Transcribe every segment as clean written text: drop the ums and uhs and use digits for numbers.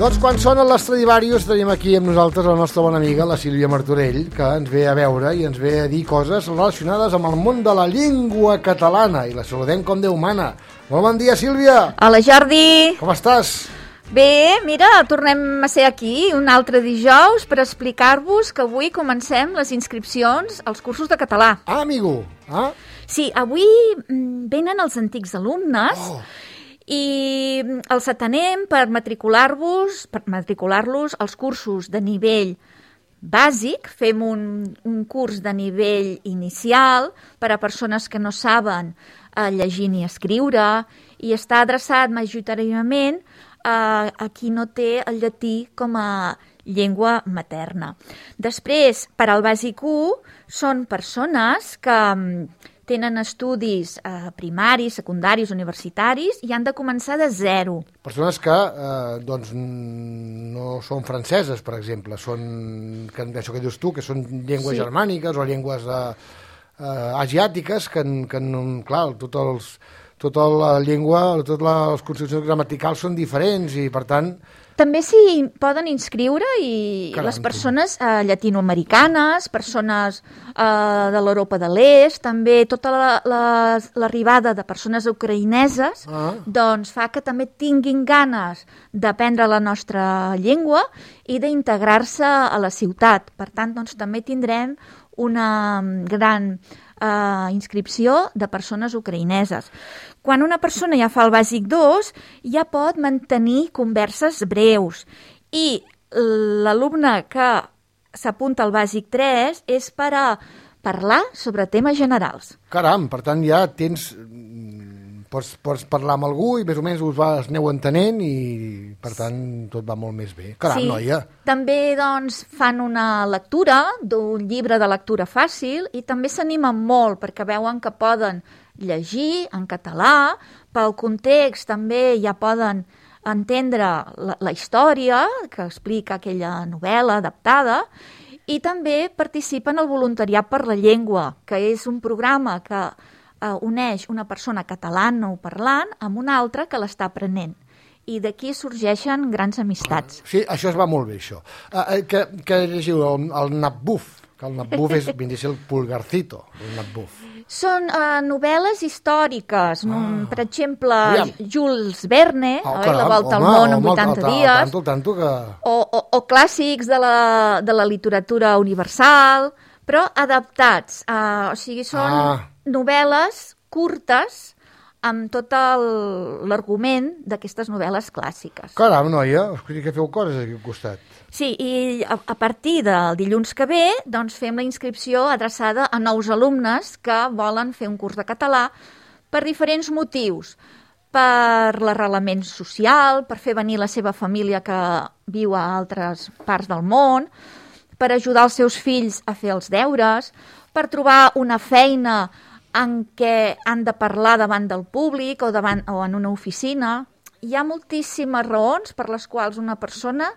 Doncs quan sonen l'Stradivarius tenim aquí amb nosaltres la nostra bona amiga, la Sílvia Martorell, que ens ve a veure i ens ve a dir coses relacionades amb el món de la llengua catalana i la saludem com Déu mana. Molt bon dia, Sílvia! Hola, Jordi! Com estàs? Bé, mira, tornem a ser aquí un altre dijous per explicar-vos que avui comencem les inscripcions als cursos de català. Ah, amigo! Ah? Sí, avui venen els antics alumnes i els atenem per matricular-los als cursos de nivell bàsic. Fem un curs de nivell inicial per a persones que no saben llegir ni escriure i està adreçat majoritàriament a qui no té el llatí com a llengua materna. Després, per al bàsic 1, són persones que tenen estudis primaris, secundaris, universitaris i han de començar de zero. Persones que doncs, no són franceses, per exemple, són, això que dius tu, que són llengües germàniques o llengües asiàtiques, que clar, tota la llengua, totes les construccions gramaticals són diferents i, per tant... També s'hi poden inscriure i les persones llatinoamericanes, persones de l'Europa de l'Est, també tota l'arribada de persones ucraïneses, doncs fa que també tinguin ganes d'aprendre la nostra llengua i d'integrar-se a la ciutat. Per tant, doncs, també tindrem una gran inscripció de persones ucraïneses. Quan una persona ja fa el bàsic 2, ja pot mantenir converses breus i l'alumne que s'apunta al bàsic 3 és per a parlar sobre temes generals. Caram, per tant ja tens... Pots parlar amb algú i més o menys us aneu entenent i, per tant, tot va molt més bé. Caram, noia! També, doncs, fan una lectura d'un llibre de lectura fàcil i també s'animen molt perquè veuen que poden llegir en català, pel context també ja poden entendre la història que explica aquella novel·la adaptada i també participen al voluntariat per la llengua, que és un programa que uneix una persona catalanoparlant amb una altra que l'està aprenent. I d'aquí sorgeixen grans amistats. Sí, això es va molt bé, això. Que llegiu el Napbuf, que el Napbuf és, ben dir, el pulgarcito, el Napbuf. Són novel·les històriques. Per exemple, Jules Verne, La volta al món en 80 dies, o clàssics de la literatura universal, però adaptats. O sigui, són novel·les curtes amb tot l'argument d'aquestes novel·les clàssiques. Caram, noia, que feu coses aquí al costat. Sí, i a partir del dilluns que ve doncs fem la inscripció adreçada a nous alumnes que volen fer un curs de català per diferents motius. Per l'arrelament social, per fer venir la seva família que viu a altres parts del món, per ajudar els seus fills a fer els deures, per trobar una feina en què han de parlar davant del públic o en una oficina. Hi ha moltíssimes raons per les quals una persona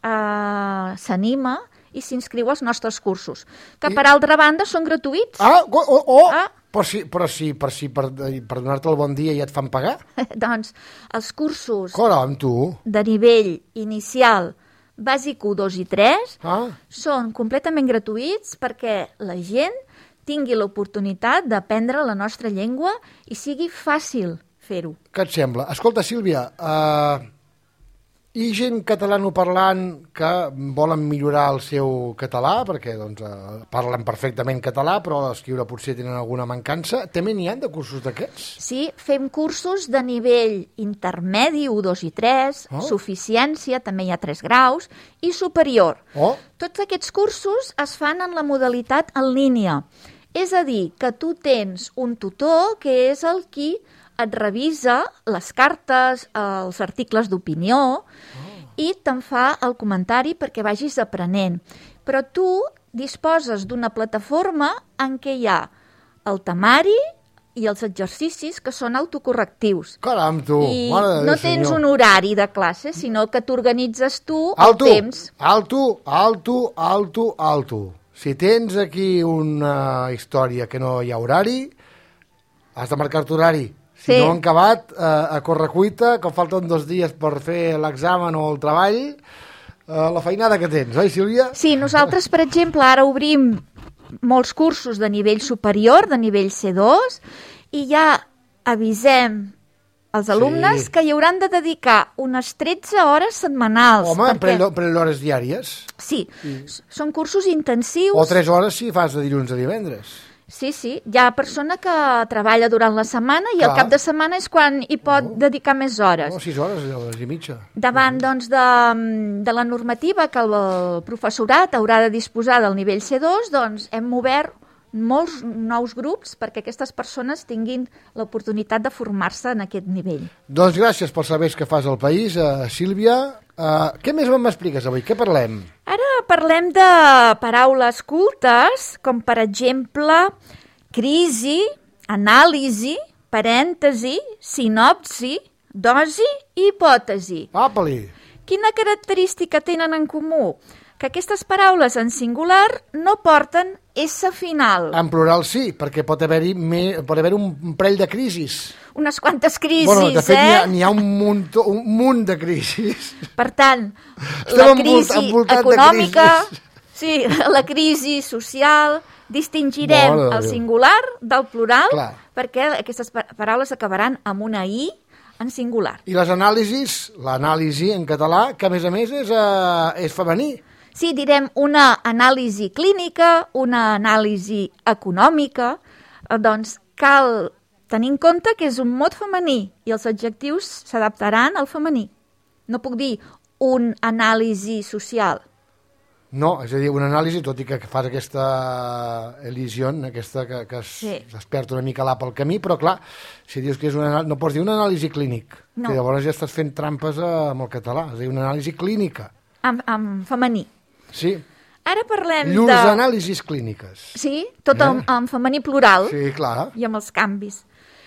s'anima i s'inscriu als nostres cursos, que per altra banda són gratuïts. Però per donar-te el bon dia ja et fan pagar? Doncs els cursos de nivell inicial, bàsic 1, 2 i 3, són completament gratuïts perquè la gent tingui l'oportunitat d'aprendre la nostra llengua i sigui fàcil fer-ho. Què et sembla? Escolta, Sílvia, hi ha gent catalanoparlant que volen millorar el seu català, perquè parlen perfectament català, però a l'escriure potser tenen alguna mancança. També n'hi ha de cursos d'aquests? Sí, fem cursos de nivell intermedi, 1, 2 i 3, suficiència, també hi ha 3 graus, i superior. Tots aquests cursos es fan en la modalitat en línia. És a dir, que tu tens un tutor que és el qui et revisa les cartes, els articles d'opinió i te'n fa el comentari perquè vagis aprenent. Però tu disposes d'una plataforma en què hi ha el temari i els exercicis que són autocorrectius. Caram, tu! I no tens un horari de classe, sinó que t'organitzes tu el temps. Alto. Si tens aquí una història que no hi ha horari, has de marcar-te horari. Si no han acabat, a correcuita, que falten 2 dies per fer l'examen o el treball, la feinada que tens, oi, Sílvia? Sí, nosaltres, per exemple, ara obrim molts cursos de nivell superior, de nivell C2, i ja avisem els alumnes que hi hauran de dedicar unes 13 hores setmanals. Home, pren hores diàries. Sí, són cursos intensius. O 3 hores si fas de dilluns a divendres. Sí, hi ha persona que treballa durant la setmana i al cap de setmana és quan hi pot dedicar més hores. 6 hores i mitja. Davant, doncs, de la normativa que el professorat haurà de disposar del nivell C2, doncs hem obert molts nous grups perquè aquestes persones tinguin l'oportunitat de formar-se en aquest nivell. Doncs gràcies pels serveis que fas al país, Sílvia. Què més m'expliques avui? Què parlem? Ara parlem de paraules cultes, com per exemple crisi, anàlisi, parèntesi, sinopsi, dosi i hipòtesi. Apa-li! Quina característica tenen en comú? Que aquestes paraules en singular no porten S final. En plural sí, perquè pot haver-hi un parell de crisis. Unes quantes crisis, de fet, n'hi ha un munt de crisis. Per tant, la crisi econòmica, sí, la crisi social, distingirem el singular del plural, perquè aquestes paraules acabaran amb una I en singular. I les anàlisis, l'anàlisi en català, que a més és femení. Sí, direm una anàlisi clínica, una anàlisi econòmica, doncs cal tenir en compte que és un mot femení i els adjectius s'adaptaran al femení. No puc dir un anàlisi social. No, és a dir, una anàlisi, tot i que fas aquesta elisió, aquesta que es perd una mica l'A pel camí, però clar, si dius que és una anàlisi, no pots dir una anàlisi clínic, que llavors ja estàs fent trampes amb el català, és a dir, una anàlisi clínica. En femení. Sí. Ara parlem Llurs anàlisis clíniques. Sí, tot en femení plural. Sí, clar. I amb els canvis.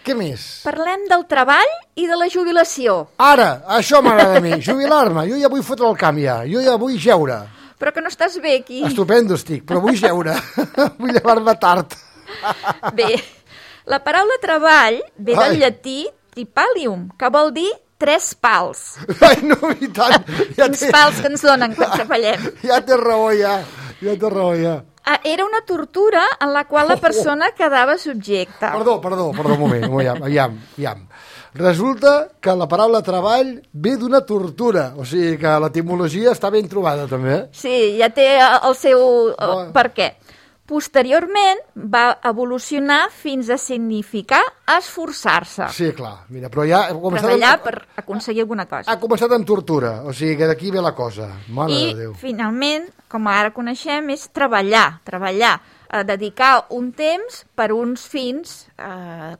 Què més? Parlem del treball i de la jubilació. Ara, això m'agrada a mi, jubilar-me. Jo ja vull fotre el camp ja, jo ja vull jeure. Però que no estàs bé aquí. Estupendo estic, però vull jeure. Vull llevar-me tard. Bé, la paraula treball ve del llatí tripalium, que vol dir 3 pals. Ai, no, i tant. Quins pals que ens donen quan treballem. Ja té raó, ja té raó, ja. Era una tortura en la qual la persona quedava subjecta. Perdó, un moment, aviam. Resulta que la paraula treball ve d'una tortura, o sigui que l'etimologia està ben trobada, també. Sí, ja té el seu per què. Posteriorment va evolucionar fins a significar esforçar-se. Sí, clar. Mira, però ja... Treballar per aconseguir alguna cosa. Ha començat amb tortura, o sigui que d'aquí ve la cosa. Mare de Déu. I, finalment, com ara coneixem, és treballar. Dedicar un temps per uns fins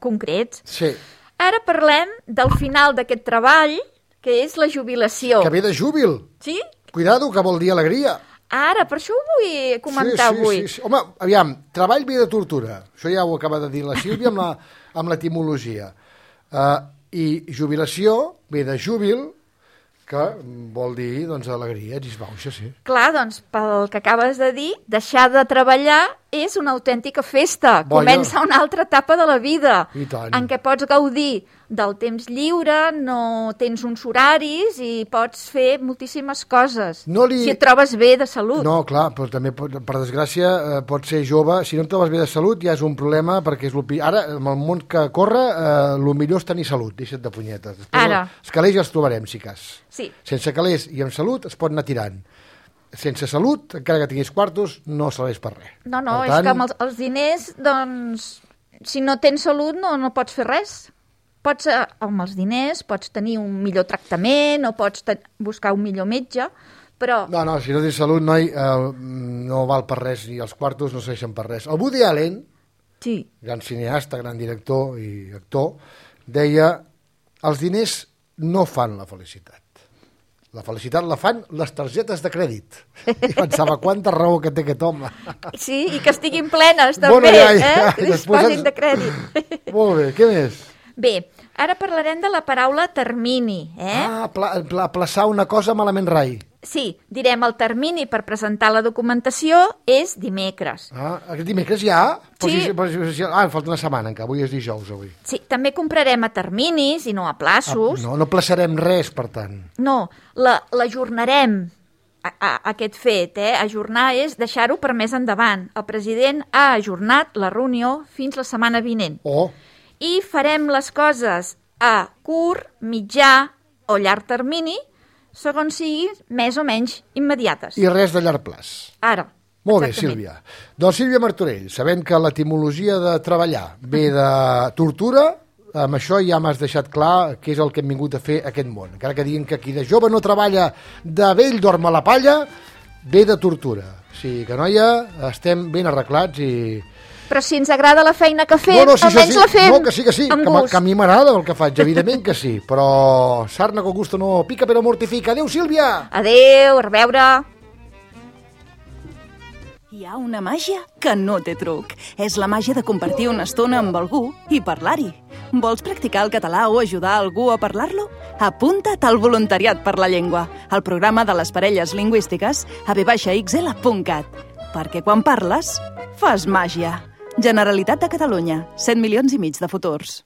concrets. Sí. Ara parlem del final d'aquest treball, que és la jubilació. Que ve de júbil. Sí? Cuidado, que vol dir alegria. Ara, per això ho vull comentar avui. Sí. Home, aviam, treball ve de tortura. Això ja ho acaba de dir la Sílvia amb l'etimologia. I jubilació ve de júbil, que vol dir, doncs, alegria, disbauxa, sí. Clar, doncs, pel que acabes de dir, deixar de treballar és una autèntica festa. Comença una altra etapa de la vida, en què pots gaudir del temps lliure, no tens uns horaris i pots fer moltíssimes coses, si et trobes bé de salut. No, clar, però també, per desgràcia, pots ser jove. Si no et trobes bé de salut ja és un problema, perquè ara, amb el món que corre, el millor és tenir salut, deixa't de punyetes. Després els calés ja els trobarem, si cas. Sí. Sense calés i amb salut es pot anar tirant. Sense salut, encara que tinguis quartos, no serveix per res. No, és que amb els diners, doncs, si no tens salut no pots fer res. Amb els diners pots tenir un millor tractament o pots buscar un millor metge, però... No, si no tens salut, noi, no val per res i els quartos no serveixen per res. El Woody Allen, gran cineasta, gran director i actor, deia: els diners no fan la felicitat. La felicitat la fan les targetes de crèdit. I pensava, quanta raó que té aquest home. Sí, i que estiguin plenes, també, que disposin de crèdit. Molt bé, què més? Bé, ara parlarem de la paraula termini. Aplaçar una cosa malament rai. Sí, direm el termini per presentar la documentació és dimecres. Aquest dimecres ja? Sí. Em falta una setmana encara, avui és dijous, avui. Sí, també comprarem a terminis i no a plaços. No plaçarem res, per tant. No, l'ajornarem, aquest fet, Ajornar és deixar-ho per més endavant. El president ha ajornat la reunió fins la setmana vinent. I farem les coses a curt, mitjà o llarg termini, segons sigui més o menys immediates. I res de llarg plaç. Ara. Molt bé, Sílvia. Doncs Sílvia Martorell, sabent que l'etimologia de treballar ve de tortura, amb això ja m'has deixat clar què és el que hem vingut a fer a aquest món. Encara que diguin que qui de jove no treballa, de vell dorm a la palla, ve de tortura. O sigui que, noia, estem ben arreglats i... Però si ens agrada la feina que fem, almenys la fem no, que sí, amb gust. Que a mi m'agrada el que faig, evidentment que sí, però sarna con gusto no pica però mortifica. Adéu, Sílvia! Adéu, a reveure! Hi ha una màgia que no té truc. És la màgia de compartir una estona amb algú i parlar-hi. Vols practicar el català o ajudar algú a parlar-lo? Apunta't al Voluntariat per la Llengua, al programa de les parelles lingüístiques a v-xl.cat. Perquè quan parles, fas màgia. Generalitat de Catalunya, 7,5 milions de futurs.